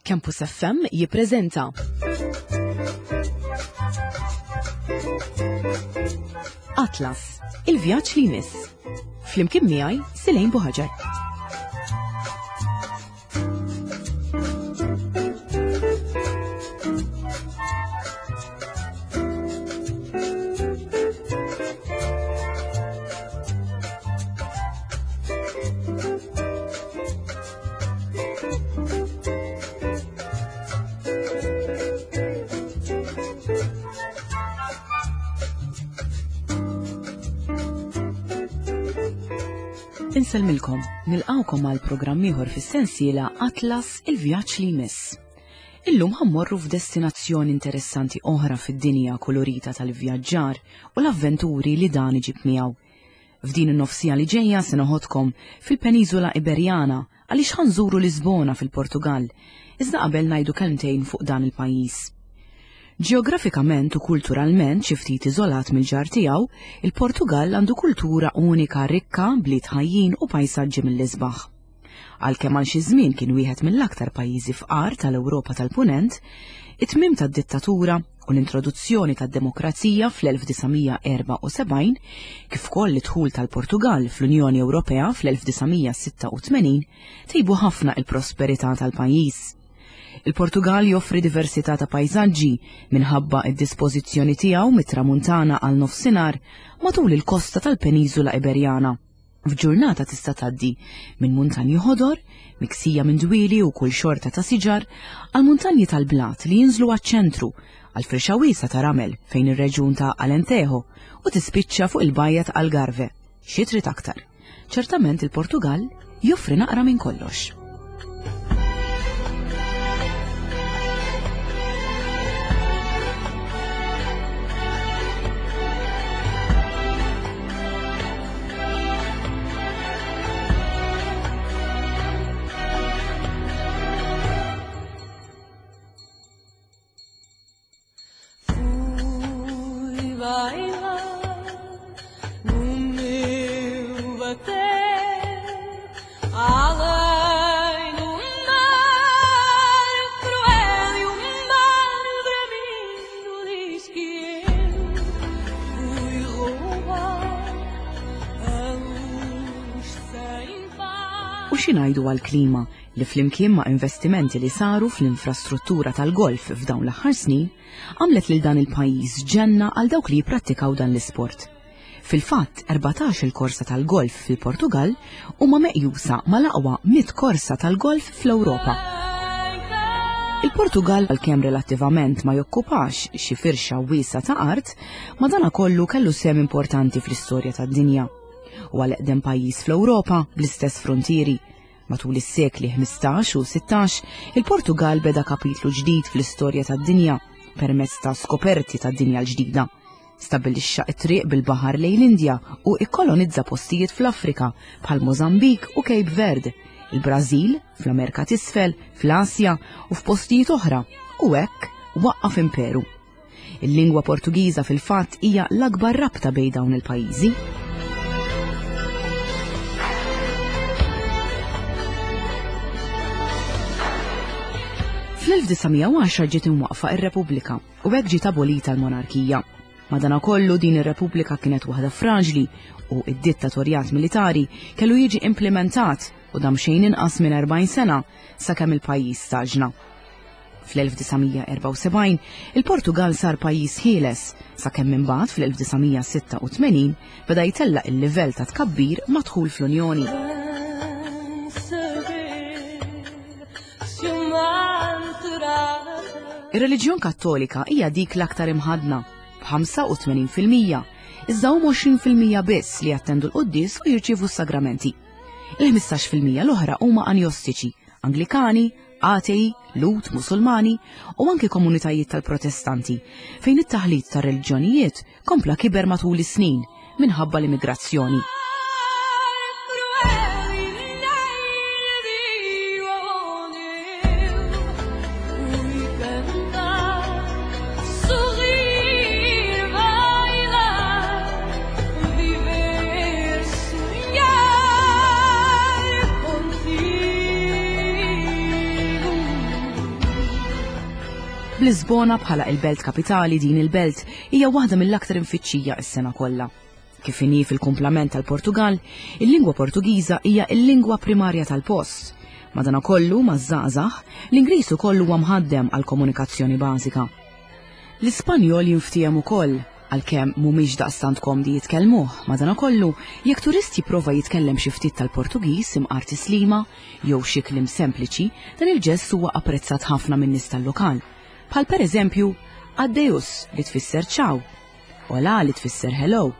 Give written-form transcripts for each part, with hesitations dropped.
Campus FM jippreżenta Atlas, il-vjaġġ li jmiss. Flimkien miegħi Silejn Buħaġar. Insellmilkom, nilqawkom għal programm ieħor fis-sensiela Atlas il-vjaġġ li jmiss. Illum ħammorru f'destinazzjoni interessanti oħra fid-dinja kolorita tal-vjaġġar u l-avventuri li dan iġib miegħu. F'din in-nofsija li ġejja se noħodkom fil-Peniżola Iberjana għaliex ħa nżuru Lisbona fil-Portugall, iżda qabel ngħidu kelmtejn fuq dan il-pajjiż. Ġeografikament u kulturalment xi ftit iżolat mill-ġar tiegħu, il-Portugall għandu kultura unika rikka bliet ħajjin u pajsaġġi mill-isbaħ. Għalkemm għal xi żmien kien wieħed mill-aktar pajjiżi fqar tal-Ewropa tal-Punent, it-tmiem tad-dittatura u l-introduzzjoni tad-demokrazija fl-1974, kif ukoll id-dħul tal-Portugall fl-Unjoni Ewropea fl-1986, tejbu ħafna il-prosperità tal-pajjiż. Il-Portugall joffri diversità ta' pajsaġġi minħabba id-dispożizzjoni tiegħu mit-tramuntana għal nofsinhar matul il-kosta tal-Peniżula Iberjana. F'ġurnata tista' tgħaddi minn muntanji ħodor, miksija minn dwieli u kull xorta ta' siġar, għal muntanji tal-blat li jinżlu għaċ-ċentru, għal firxa wiesgħa ta' ramel fejn ir-reġjun ta' Alentejo u tispiċċa fuq il-bajja ta' Algarve. Xi trid aktar? Ċertament il-Portugall joffri naqra minn kollox. U xi ngħidu għall-klima li flimkien ma' investimenti li saru fl-infrastruttura tal-golf f'dawn l-aħħar snin, għamlet lil dan il-pajjiż ġenna għal dawk li jipprattikaw dan l-isport. Fil-fatt, 14 il-korsa tal-golf fil-Portugall huma meqjusa mal-aqwa 100 korsa tal-golf fl-Ewropa. Il-Portugall għalkemm relattivament ma jokkupax xi firxa wiesgħa ta' art, madanakollu kellu sehem importanti fl-istorja tad-dinja. Huwa l-eqdem pajjiż fl-Ewropa bl-istess fruntieri. Matul is-sekli 15 u 16, il-Portugall beda kapitlu ġdid fl-istorja tad-dinja permezz ta' skoperti tad-dinja l-ġdida. Stabbilixxa t-triq bil-baħar lejn l-Indja u ikkolonizza postijiet fl-Afrika bħal Mozambik u Cape Verde, il-Brażil, fl-Amerika t'Isfel, fl-Asja u f'postijiet oħra, u hekk waqqaf imperu. Il-lingwa Portugiża fil-fatt hija l-akbar rabta bejn dawn il-pajjiżi. Fl-1910 ġiet imwaqqfa ir-Repubblika u hekk ġiet abolita l-monarkija. Madanakollu din ir-Repubblika kienet waħda fraġli u id-dittatorjat militari kellu jiġi implementat u dam xejn inqas minn 40 sena sakemm il-pajjiż staġna. Fl-1974, il-Portugall sar pajjiż ħieles, sakemm imbagħad fl-1986 beda jtellaq il-livell ta' tkabbir mad-dħul fl-Unjoni. Ir-reliġjon Kattolika hija dik l-aktar imħaddna, b'85%, iżda huma 20% biss li jattendu l-quddies u jirċievu s-sagramenti. Il-15% l-oħra huma anjostiċi, Anglikani, atei, Lhud, Musulmani u anki komunitajiet tal-Protestanti, fejn it-taħlit tar-reliġjonijiet kompla kiber matul is-snin minħabba l-immigrazzjoni. B'Lisbona bħala il-belt kapitali din il-belt hija waħda mill-aktar imfittxija s-sena kollha. Kif inhi fil-kumplament tal-Portugall, il-lingwa Portugiża hija l-lingwa primarja tal-post. Madanakollu, maż-żgħażagħ, l-Ingliż ukoll huwa mħaddem għall-komunikazzjoni bażika. L-Ispanjol jinftiehem ukoll, għalkemm mhumiex daqstant komdi jitkellmuh. Madanakollu, jekk turist jipprova jitkellem xi ftit tal-Portugiż imqar tislima jew xi kliem sempliċi, dan il-ġest huwa apprezzat ħafna min-nies tal-lokal. Bħal pereżempju, adeus li tfisser ciao, Hola li tfisser hello,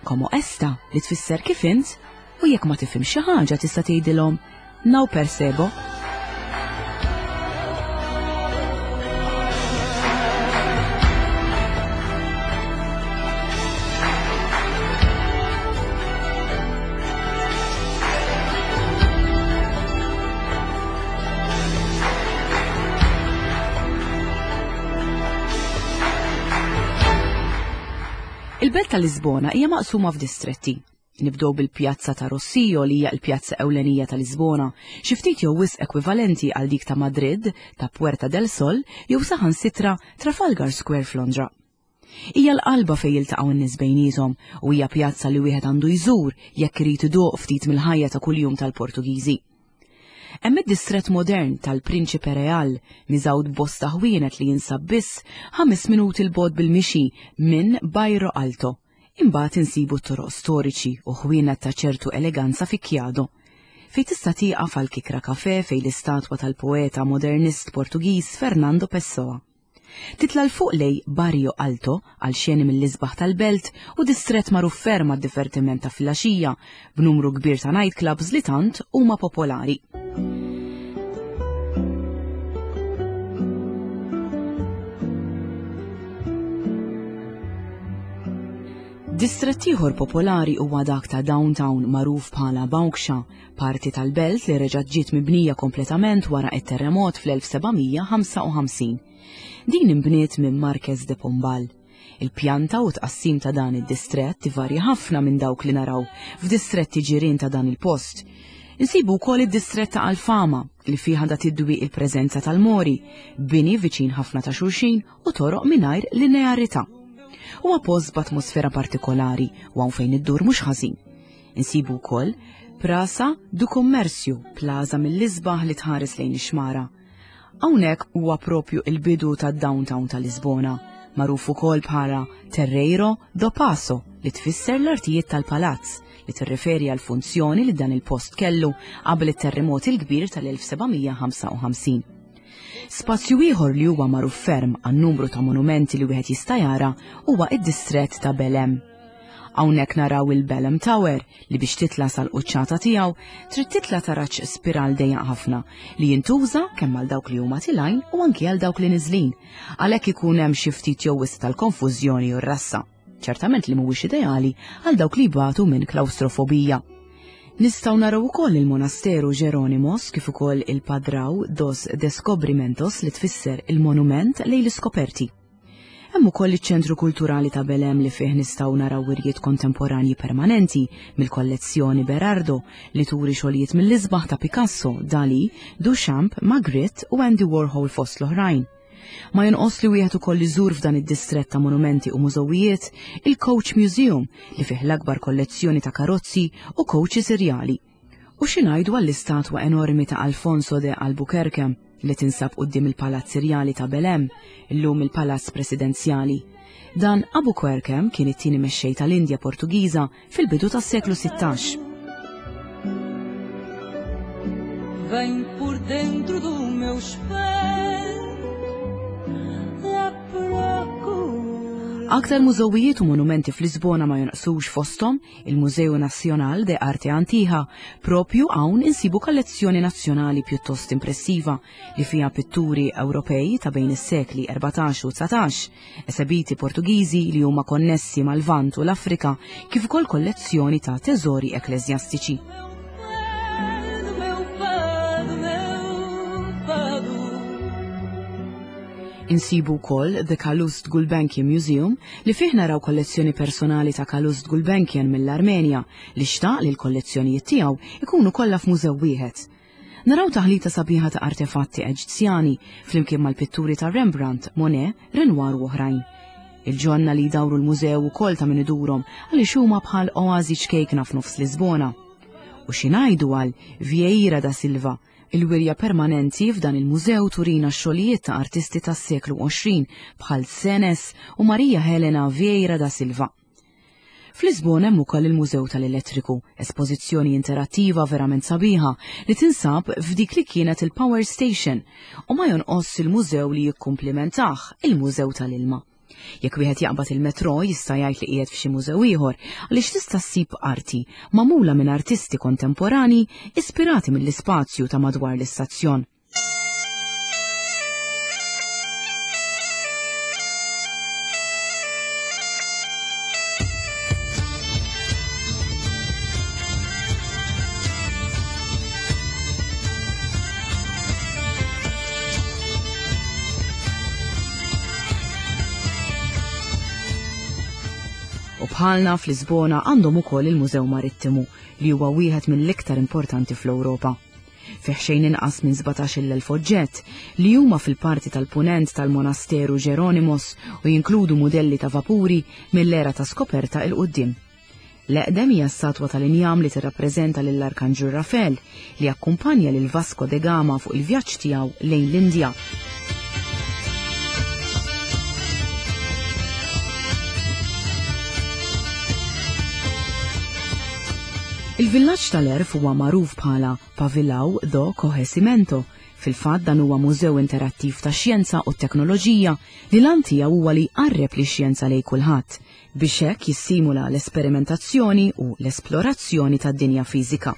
como esta li tfisser kif int u jekk ma tifhimx xi ħaġa tista' tgħidilhom não percebo. Il-belt ta' Lisbona hija maqsuma f'distretti. Nibdew bil-Pjazza ta' Rossio li hija l-pjazza ewlenija ta' Lisbona, xi ftit jew wisq ekwivalenti għal dik ta' Madrid, ta' Puerta del Sol jew saħansitra Trafalgar Square f'Londra. Hija l-qalba fejn jiltaqgħu n-nies bejniethom u hija pjazza li wieħed għandu jżur jekk irid iduq ftit mill-ħajja ta' kuljum tal-Portugiżi. Hemm id-distrett modern tal-Principe Real, miżgħud b'bosta ħwienet li jinsab biss ħames minuti 'l bogħod bil-mixi minn Bairro Alto. Imbagħad insibu t-toroq storiċi u ħwienet ta' ċertu eleganza fi Chiado, fejn tista' tieqaf għal kikra kafè fejn l-istatwa tal-poeta modernist Portugiż Fernando Pessoa. Titla' 'l fuq lejn Barrio Alto għal xeni mill-isbaħ tal-belt u distrett magħruf ferm għad-divertiment ta' filgħaxija b'numru kbir ta' nightclubs li tant huma popolari. Distrett ieħor popolari huwa dak ta' downtown magħruf bħala Bauxa, parti tal-belt li reġgħet ġiet mibnija kompletament wara t-terremot fl-1755. Din inbniet minn Marques de Pombal. Il-pjanta u tqassim ta' dan id-distrett ivarja ħafna minn dawk li naraw f'distretti ġirien ta' dan il-post. Insibu wkoll id-distrett ta' Alfama li fih għandha tidwi il-preżenza tal-Mori, bini viċin ħafna ta' xulxin u toroq mingħajr linearità. Huwa post b'atmosfera partikolari u hawn fejn iddur mhux ħażin. Insibu wkoll Praça do Comércio, plaza mill-isbaħ li tħares lejn ix-xmara. Hawnhekk huwa propju il-bidu tad-downtown ta' Lisbona, magħruf ukoll bħala Terreiro do Paço li tfisser l-artijiet tal-palazz li tirreferi għal funzjoni li dan il-post kellu qabel it-terremot il-kbir tal-1755. Spazju ieħor li huwa magħruf ferm għan-numru ta' monumenti li wieħed jista' jara huwa id-distrett ta' Belem. Hawnhekk naraw il-Belem Tower li biex titla' sal-quċċata tiegħu trid titla' taraġ spiral dejjaq ħafna li jintuża kemm għal dawk li huma tilgħin u anki għal dawk li niżlin. Għalhekk ikun hemm xi ftit jew wisq tal-konfużjoni u r-rassa. Ċertament li mhuwiex ideali għal dawk li jbatu minn klawstrofobija. Nistgħu naraw ukoll il-Monasteru Jeronimos kif ukoll il-Padraw dos Descobrimentos li tfisser il-monument lejn l-iskoperti. Hemm ukoll iċ-Ċentru Kulturali ta' Belem li fih nistgħu naraw wirjiet kontemporanji permanenti mill-kollezzjoni Berardo li turi xogħlijiet mill-isbaħ ta' Picasso, Dali, Duchamp, Magritte u Andy Warhol fost l-oħrajn. Ma jonqos li wieħed ukoll iżur f'dan id-distrett ta' monumenti u mużewijiet il-Coach Museum li fih l-akbar kollezzjoni ta' karozzi u coaches irjali. U xi ngħidu għall-istatwa enormi ta' Alfonso de Albuquerque li tinsab quddiem il-Palazz Irjali ta' Belém, illum il-Palazz Presidenzjali. Dan Albuquerque kien it-tieni mexxej tal-Indja Portugiża fil-bidu tas-seklu 16. Vem por dentro do meu espelho à procura. Aktar mużewijiet u monumenti f'Lisbona ma jonqsux fosthom il-Museu Nacional de Arte Antiga, propju hawn insibu kollezzjoni nazzjonali pjuttost impressiva li fiha pitturi Ewropej ta' bejn is-sekli 14 u 19, esebiti Portugiżi li huma konnessi mal-Lvant u l-Afrika, kif ukoll kollezzjoni ta' teżori ekkleżjastiċi. Insibu wkoll The Calouste Gulbenkian Museum li fih naraw kollezzjoni personali ta' Calouste Gulbenkian mill-Armenja li xtaq li l-kollezzjonijiet tiegħu ikunu kollha f'mużew wieħed. Naraw taħlita sabiħa ta' artefatti Eġizzjani flimkien mal-pitturi ta' Rembrandt, Monet, Renoir u oħrajn. Il-ġonna li jdawru l-mużew ukoll ta' min idurhom għaliex huma bħal oażi ċkejkna f'nofs Lisbona. U xi ngħidu għal Vieira da Silva, il-wirja permanenti f'dan il-mużew turina x-xogħlijiet ta' artisti tas-seklu 20 bħal Senes u Maria Helena Vieira da Silva. F'Lisbona hemm ukoll il-Mużew tal-Elettriku, espożizzjoni interattiva verament sabiħa li tinsab f'dik li kienet il-Power Station u ma jonqosx il-mużew li jikkumplimentah, il-Mużew tal-Ilma. Jekk wieħed jaqbad il-metro jista' jgħid li qiegħed f'xi mużew ieħor għaliex tista' ssib arti magħmula minn artisti kontemporani ispirati mill-ispazju ta' madwar l-istazzjon. U bħalna fl-Lisbona għandhom ukoll il-Mużew Marittimu li huwa wieħed mill-iktar importanti fl-Ewropa. Fih xejn inqas minn 17,000 oġġett li huma fil-parti tal-punent tal-Monasteru Ġeronimos u jinkludu mudelli ta' vapuri mill-era ta' skoperta 'il quddiem. L-eqdem hija statwa tal-injam li tirrappreżenta lill-Arkanġlu Rafel li akkumpanja lil Vasco de Gama fuq il-vjaġġ tiegħu lejn l-Indja. Il-villaġġ tal-Għerf huwa magħruf bħala Pavilhão do Conhecimento. Fil-fatt dan huwa mużew interattiv tax-xjenza u t-teknoloġija li l-għan tiegħu huwa li jqarreb lix-xjenza lejn kulħadd, biex hekk jissimula l-esperimentazzjoni u l-esplorazzjoni tad-dinja fiżika.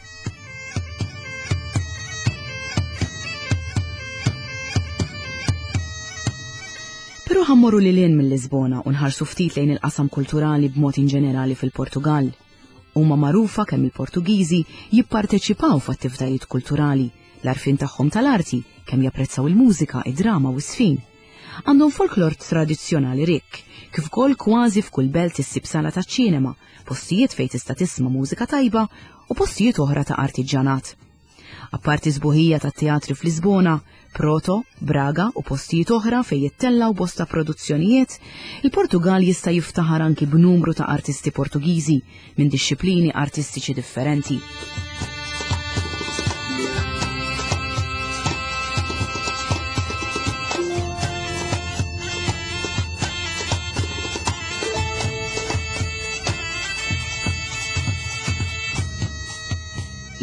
Però ħa mmorru lil hinn minn Lisbona u nħarsu ftit lejn il-qasam kulturali b'mod inġenerali fil-Portugall. Huma magħrufa kemm il-Portugiżi jipparteċipaw f'attivitajiet kulturali, l-għarfien tagħhom tal-arti, kemm japprezzaw il-mużika, id-drama u s-sfin. Għandhom folklor tradizzjonali rikk, kif ukoll kważi f'kull belt issib sala taċ-ċinema, postijiet fejn tista' tisma' mużika tajba u postijiet oħra ta' artiġġanat. Apparti sbuħija tat-teatri f'Lisbona, Proto, Braga u postijiet oħra fejn jittellgħu bosta produzzjonijiet, il-Portugal jista' jiftaħar anki b'numru ta' artisti Portugiżi minn dixxiplini artistiċi differenti.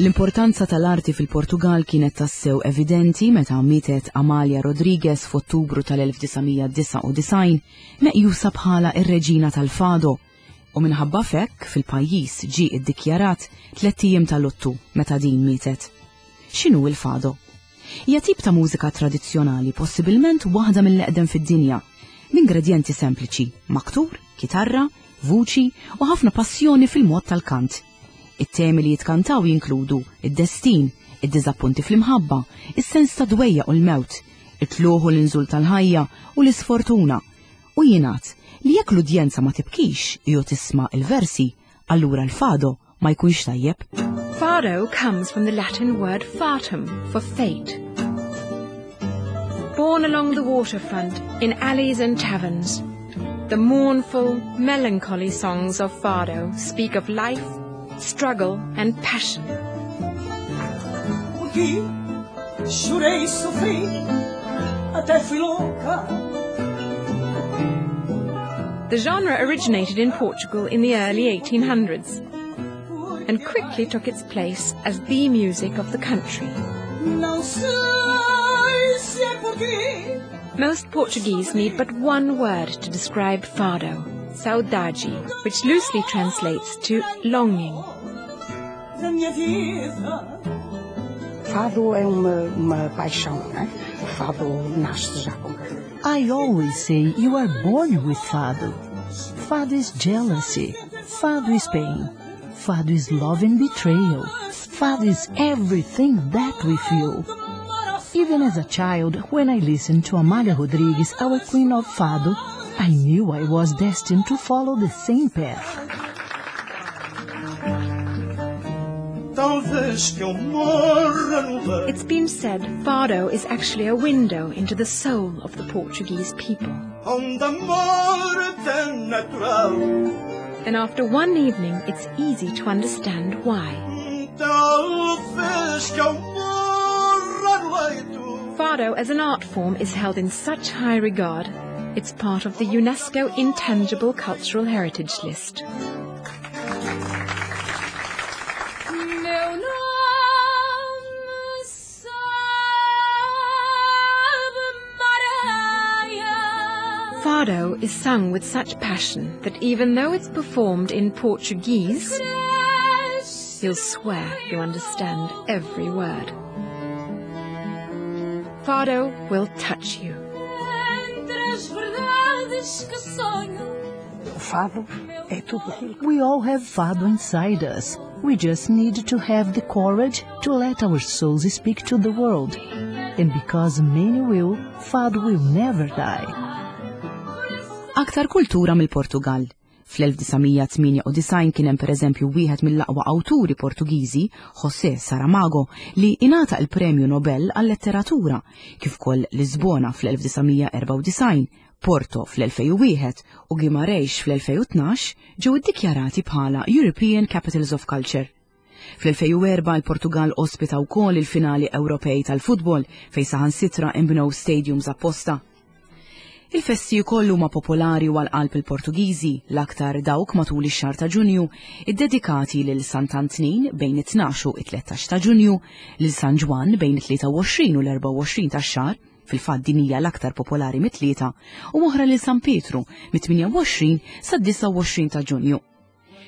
L-importanza tal-arti fil-Portugal kienet tassew evidenti meta mietet Amalia Rodrigues f'Ottubru tal-1999, meqjusa bħala ir-reġina tal-fado, u minħabba f'hekk fil-pajjiż ġie iddikjarat tlett ijiem ta' luttu meta din mietet. X'inhu l-fado? Hija tip ta' mużika tradizzjonali possibilment waħda mill-eqdem fid-dinja, b'ingredjenti sempliċi, maktur, kitarra, vuċi u ħafna passjoni fil-mod tal-kant. It-temi li jitkantaw jinkludu d-destin, id-diżappunti fl-imħabba, is-sens ta' dwejjaq u l-mewt, it-tlugħ u l-inżul tal-ħajja u l-isfortuna. U jingħad li jekk l-udjenza ma tibkix jew tisma' l-versi, allura l-fado ma jkunx tajjeb. Fado comes from the Latin word fatum for fate. Born along the waterfront in alleys and taverns, the mournful, melancholy songs of fado speak of life, struggle and passion. Porque chorei e sofri, até fui louca. The genre originated in Portugal in the early 1800s and quickly took its place as the music of the country. Não sei se é por ti. Most Portuguese need but one word to describe fado, saudade, which loosely translates to longing. Da minha vida. Fado é uma, uma paixão, não é? O fado nasce já com I always say you are born with fado. Fado is jealousy. Fado is pain. Fado is love and betrayal. Fado is everything that we feel. Even as a child, when I listened to Amália Rodrigues, our queen of fado, I knew I was destined to follow the same path. Tão Talvez que eu morra no leito. It's been said fado is actually a window into the soul of the Portuguese people. Onde a morte é natural. And after one evening, it's easy to understand why. Talvez que eu morra no leito. Fado as an art form is held in such high regard, it's part of the UNESCO Intangible Cultural Heritage List. Meu nome sabe Maria. Fado is sung with such passion that even though it's performed in Portuguese, you'll swear you understand every word. Fado will touch you. Entre as verdades que sonho. O fado é tudo aquilo que We all have fado inside us. We just need to have the courage to let our souls speak to the world. And because many will, fado will never die. Aktar kultura mill-Portugal. Fl-1998 kien hemm pereżempju wieħed mill-aqwa awturi Portugiżi, José Saramago, li ingħata il-Premju Nobel għal-Letteratura, kif ukoll Lisbona fl-1994, Porto fl-2001 u Guimarães fl-2012 ġew iddikjarati bħala European Capitals of Culture. Fl-2004 il-Portugal ospita wkoll il-finali Ewropej tal-futbol fejn saħansitra inbnew stadiums apposta. Il-festi wkoll huma popolari u għal-qalb il-Portugiżi, l-aktar dawk matul ix-xahar ta' Ġunju, iddedikati lil Sant'Antnin bejn it-12 u it-13 ta' Ġunju, lil San Ġwann bejn it-23 u l-24 tax-xahar, fil-fatt din hija l-aktar popolari mit-tlieta, u oħra lil San Pietru mit-28 sa-29 ta' Ġunju.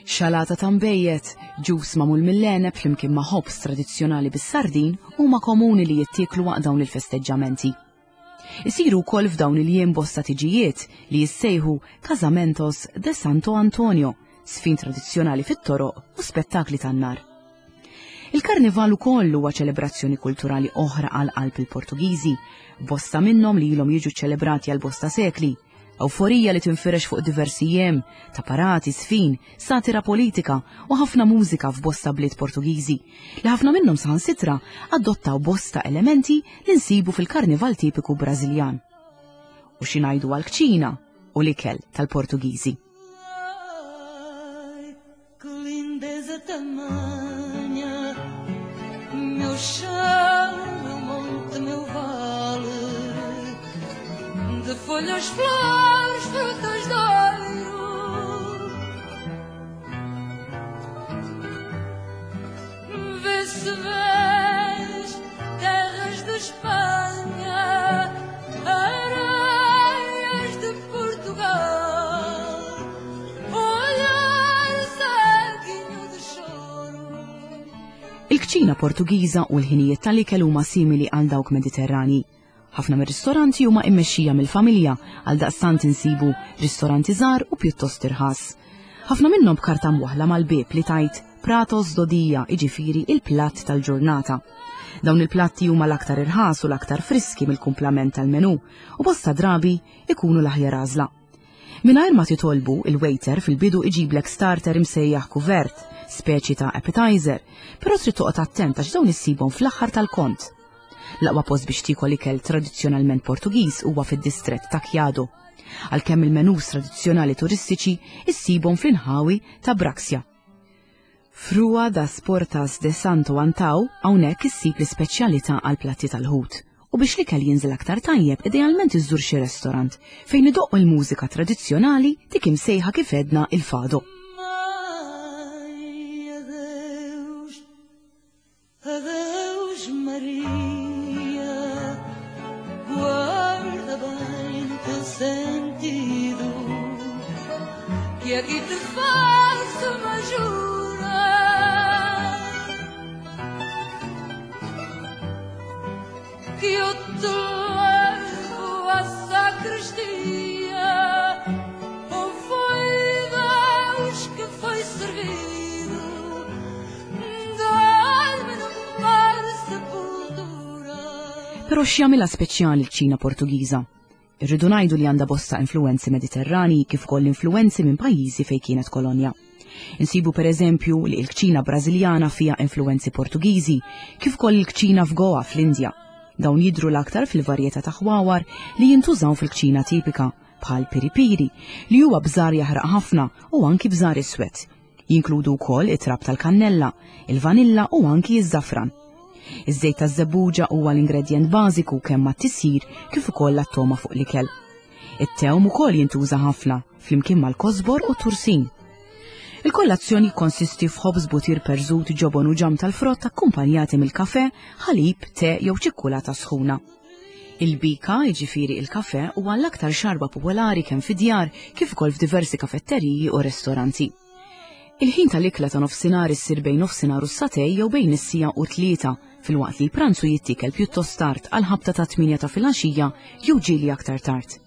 Xalata ta' nbejjed, ġus magħmul mill-għeneb flimkien ma' ħobż tradizzjonali bis-sardin huma komuni li jittieklu waqt dawn il-festeġġamenti. Isiru wkoll f'dawn il-jiem bosta tiġijiet li jissejħu Casamentos de Santo Antonio, sfin tradizzjonali fit-toroq u spettakli tan-nar. Il-karnival ukoll huwa ċelebrazzjoni kulturali oħra għal qalb il-Portugiżi, bosta minnhom li ilhom jiġu ċelebrati għal bosta sekli. Euforija li tinfirex fuq diversi jiem, ta' parati, sfin, satira politika u ħafna mużika f'bosta bliet Portugiżi, li ħafna minnhom saħansitra adottaw bosta elementi li nsibu fil-karnival tipiku Brażiljan. U xi ngħidu għall-kċina u l-ikel tal-Portugiżi. Ai, que lindeza tamanha, meu chão, meu monte, meu vale, de folhas, flores, frutas de ouro. Vê se vês terras de Espanha, areias de Portugal, olhar saquinho de choro. Il-kċina Portugiża u l-ħinijiet tal-ikel huma simili għal dawk Mediterrani. Ħafna mir-ristoranti huma immexxija mill-familja għal daqstant insibu ristoranti żgħar u pjuttost irħas. Ħafna minnhom b'karta mwaħla mal-bieb li tgħid Pratos do dia, jiġifieri il-platt tal-ġurnata. Dawn il-platti huma l-aktar irħas u l-aktar friski mill-kumplament tal-menu u bosta drabi ikunu l-aħjar għażla. Mingħajr ma titolbu, il-waiter fil-bidu iġiblek starter imsejjaħ kuvert, speċi ta' appetizer, però trid toqgħod attent għax dawn issibhom fl-aħħar tal-kont. L-aqwa post biex tiekol ikel tradizzjonalment Portugiż huwa fid-distrett ta' Chiado. Għalkemm il-menus tradizzjonali turistiċi issibhom fl-inħawi ta' Braxia. F'Rua das Portas de Santo Antão hawnhekk issib l-ispeċjalità għal platti tal-ħut. U biex l-ikel jinżel aktar tajjeb, idealment iżżur xi restorant fejn idoqqu l-mużika tradizzjonali dik imsejħa kif għedna il-fado. Ai, adeus, adeus Maria, guarda bem no teu sentido, que aqui te faço uma jura. Que eu te levo à sacristia, ou foi Deus que foi servido, dai-me no mar sepultura. Però x'jagħmilha speċjali l-kċina Portugiża? Irridu ngħidu li għandha bosta influenzi Mediterrani kif ukoll influenzi minn pajjiżi fejn kienet kolonja. Insibu pereżempju li l-kċina Brażiljana fiha influwenzi Portugiżi, kif ukoll il-kċina f'Goa fl-Indja. Dawn jidhru l-aktar fil-varjetà ta' ħwawar li jintużaw fil-kċina tipika, bħal piri-piri, li huwa bżar jaħraq ħafna u anki bżar iswed. Jinkludu wkoll it-trab tal-kannella, il-vanilla u anki ż-żafran. Iż-żejt taż-żebbuġa huwa l-ingredjent bażiku kemm għat-tisjir kif ukoll għat-togħma fuq l-ikel. It-tewm ukoll jintuża ħafna, flimkien mal-kosbor u t-tursin. Il-kollazzjon jikkonsisti f'ħobż butir perżut, ġobon u ġamm tal-frott akkumpanjati mill-kafè, ħalib, te jew ċikkulata sħuna. Il-bika, jiġifieri il-kafè, huwa l-aktar xarba popolari kemm fid-djar kif ukoll f'diversi kafetteriji u restoranti. Il-ħin tal-ikla ta' nofsinhar issir bejn nofsinhar u s-satej jew bejn is-siegħa u t-tlieta, filwaqt li l-pranzu jittiekel pjuttost tard għall-ħabta tat-tmienja ta' filgħaxija jew ġieli aktar tard.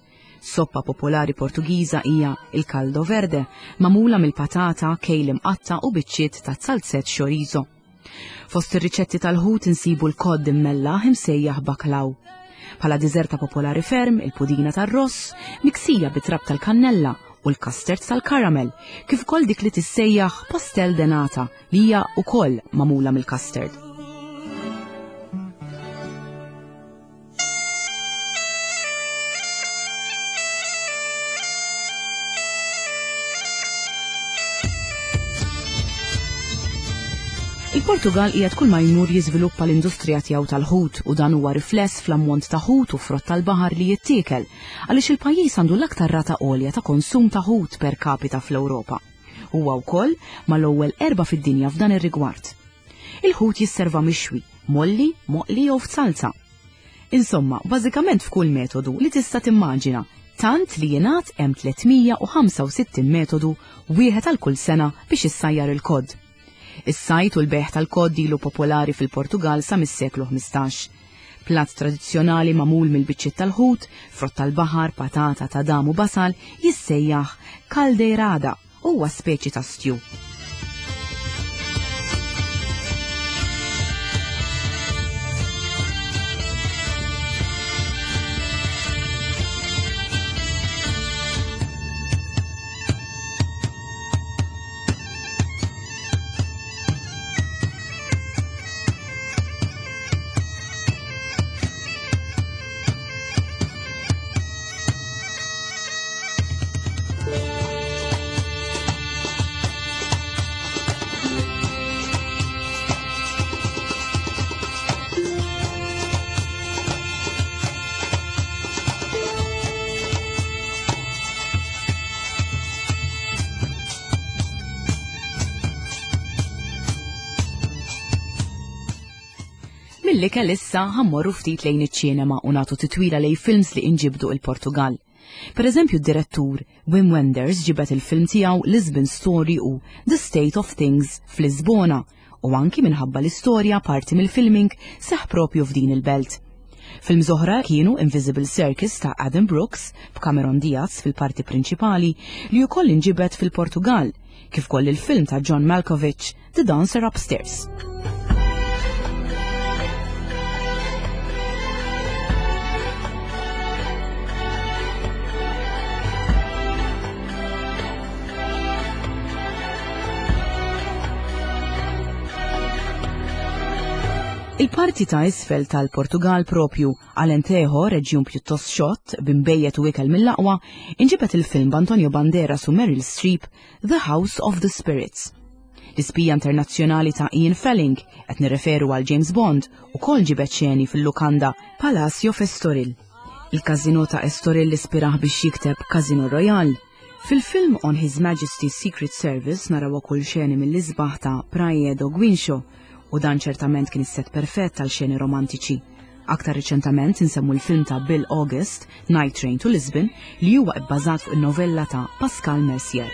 Soppa popolari Portugiża hija l-caldo verde, magħmula mill-patata, kejl imqatta' u biċċiet ta' zalzett chorizo. Fost ir-riċetti tal-ħut insibu l-kod immellaħ imsejjaħ bacalhau. Bħala diżerta popolari ferm, il-pudina tar-ross, miksija bit-trab tal-kannella u l-custard tal-karamel, kif ukoll dik li tissejjaħ pastel de nata li hija wkoll magħmula mill-custard. Il-Portugal qiegħed kull ma jmur jiżviluppa l-industrija tiegħu tal-ħut u dan huwa rifless fl-ammont ta' ħut u frott tal-baħar li jittiekel għaliex il-pajjiż għandu l-aktar rata għolja ta' konsum ta' ħut per capita fl-Ewropa. Huwa wkoll mal-ewwel erba' fid-dinja f'dan ir-rigward. Il-ħut jisserva mixwi, mgħolli, moqli jew f'zalza. Insomma, bażikament f'kull metodu li tista' timmaġina, tant li jingħad hemm 365 metodu wieħed għal kull sena biex issajjar il-kod. Is-sajd u l-bejgħ tal-kod ilu popolari fil-Portugall sa mis-seklu 15. Platt tradizzjonali magħmul mill-biċċiet tal-ħut, frott tal-baħar, patata, tadam u basal jissejjaħ caldeirada. Huwa speċi ta' stew. Mill-ikel issa ħammorru ftit lejn iċ-ċinema u nagħtu titwila lejn films li inġibdu il-Portugal. Per eżempju d-direttur Wim Wenders ġibed il-film tiegħu Lisbon Story u The State of Things f'Lisbona u anki minħabba l-istorja parti mill-filming seħħ propju f'din il-belt. Films oħra kienu Invisible Circus ta' Adam Brooks b'Cameron Diaz fil-parti prinċipali li wkoll inġibed fil-Portugal, kif ukoll il-film ta' John Malkovich The Dancer Upstairs. Il-parti ta' isfel tal-Portugal propju, Alentejo, reġjun pjuttost xott, b'imbejjed u ikel mill-aqwa, inġibed il-film b'Antonio Banderas u Meryl Streep The House of the Spirits. L-ispija internazzjonali ta' Ian Felling, qed nirreferu għal James Bond, ukoll ġibed xeni fil-lukanda Palacio f'Estoril. Il-Casino ta' Estoril ispirah biex jikteb Casino Royale. Fil-film On His Majesty's Secret Service naraw ukoll xeni mill-isbaħ ta' Praia do Guincho u dan ċertament kien is-set perfett għal xeni romantiċi. Aktar riċentament insemmu l-film ta' Bill August, Night Train to Lisbon, li huwa bbażat fuq in-novella ta' Pascal Mercier.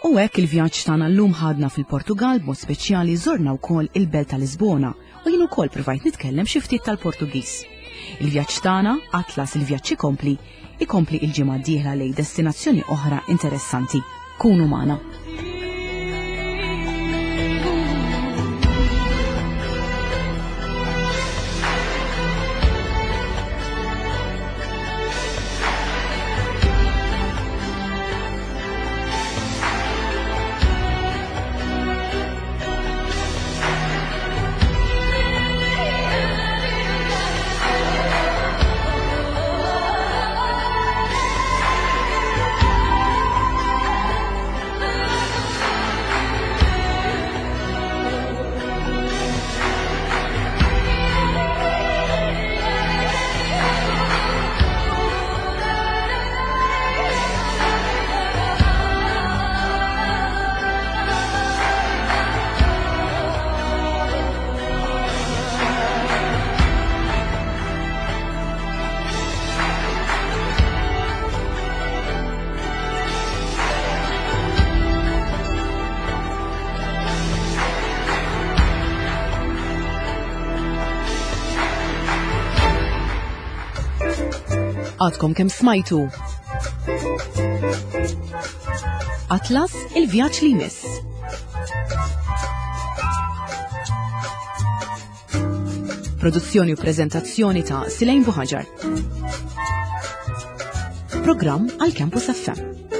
U hekk il-vjaġġ tagħna llum ħadna fil-Portugal b'mod speċjali żorna wkoll il-belt ta' Lisbona u jien ukoll provajt nitkellem xi ftit tal-Portugiż. Il-vjaġġ tagħna, Atlas il-vjaġġ ikompli, ikompli il-ġimgħa d-dieħla lejn destinazzjoni oħra interessanti. Kunu magħna. Għadkom kemm smajtu. Atlas il-vjaġġ li jmiss. Produzzjoni u prezentazzjoni ta' Silejn Buħaġar. Programm għal Campus FM.